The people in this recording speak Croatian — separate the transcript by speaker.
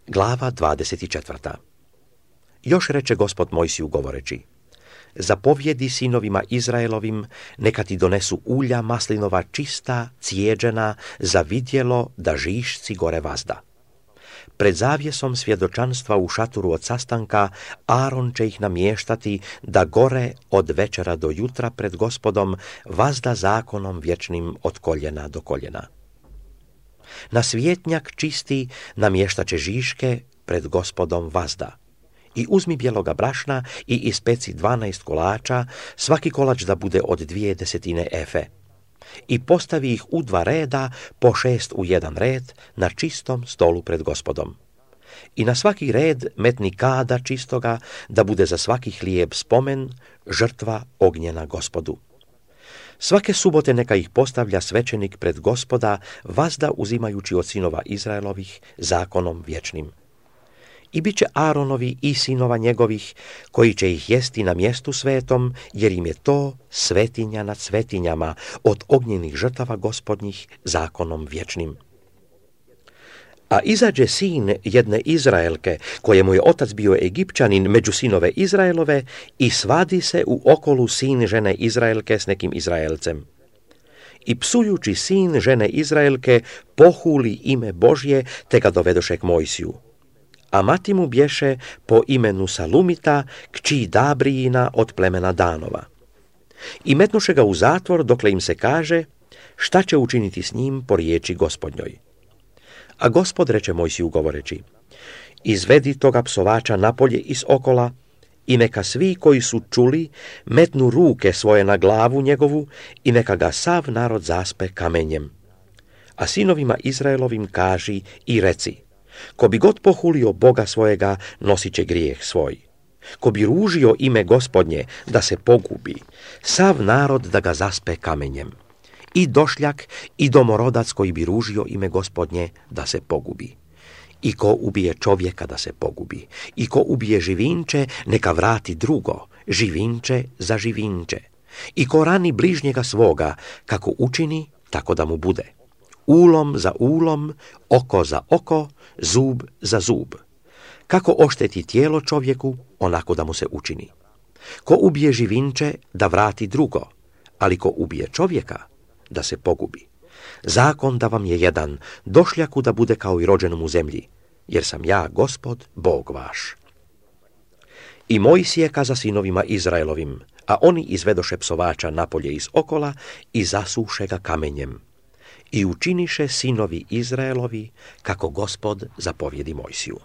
Speaker 1: Glava 24. Još reče Gospod Mojsiju govoreći: zapovjedi sinovima Izraelovim, neka ti donesu ulja maslinova čista, cijeđena, za vidjelo da žišci gore vazda. Pred zavjesom svjedočanstva u šatoru od sastanka Aron će ih namještati da gore od večera do jutra pred Gospodom vazda zakonom vječnim od koljena do koljena. Na svjetnjak čisti namještaće žiške pred Gospodom vazda. I uzmi bijeloga brašna i ispeci 12 kolača, svaki kolač da bude od 2/10 efe. I postavi ih u 2 reda, po 6 u 1 red, na čistom stolu pred Gospodom. I na svaki red metni kada čistoga, da bude za svaki hlijeb spomen, žrtva ognjena Gospodu. Svake subote neka ih postavlja svećenik pred Gospoda, vazda uzimajući od sinova Izraelovih zakonom vječnim. I bit će Aronovi i sinova njegovih, koji će ih jesti na mjestu svetom, jer im je to svetinja nad svetinjama, od ognjenih žrtava Gospodnjih zakonom vječnim. A izađe sin jedne Izraelke, kojemu je otac bio Egipćanin, među sinove Izraelove, i svadi se u okolu sin žene Izraelke s nekim Izraelcem. I psujući sin žene Izraelke pohuli ime Božje, te ga dovedoše k Mojsiju. A mati mu bješe po imenu Salumita, kći Dabrijina od plemena Danova. I metnuše ga u zatvor, dokle im se kaže šta će učiniti s njim po riječi Gospodnjoj. A Gospod reče Mojsiju govoreći: izvedi toga psovača napolje iz okola i neka svi koji su čuli metnu ruke svoje na glavu njegovu i neka ga sav narod zaspe kamenjem. A sinovima Izraelovim kaži i reci: ko bi god pohulio Boga svojega, nosit će grijeh svoj. Ko bi ružio ime Gospodnje, da se pogubi, sav narod da ga zaspe kamenjem. I došljak i domorodac koji bi ružio ime Gospodnje, da se pogubi. I ko ubije čovjeka, da se pogubi. I ko ubije živinče, neka vrati drugo, živinče za živinče. I ko rani bližnjega svoga, kako učini, tako da mu bude. Ulom za ulom, oko za oko, zub za zub. Kako ošteti tijelo čovjeku, onako da mu se učini. Ko ubije živinče, da vrati drugo, ali ko ubije čovjeka, da se pogubi. Zakon da vam je jedan, došljaku da bude kao i rođenom u zemlji, jer sam ja, Gospod, Bog vaš. I Mojsije kaza sinovima Izraelovim, a oni izvedoše psovača napolje iz okola i zasuše ga kamenjem. I učiniše sinovi Izraelovi kako Gospod zapovjedi Mojsiju.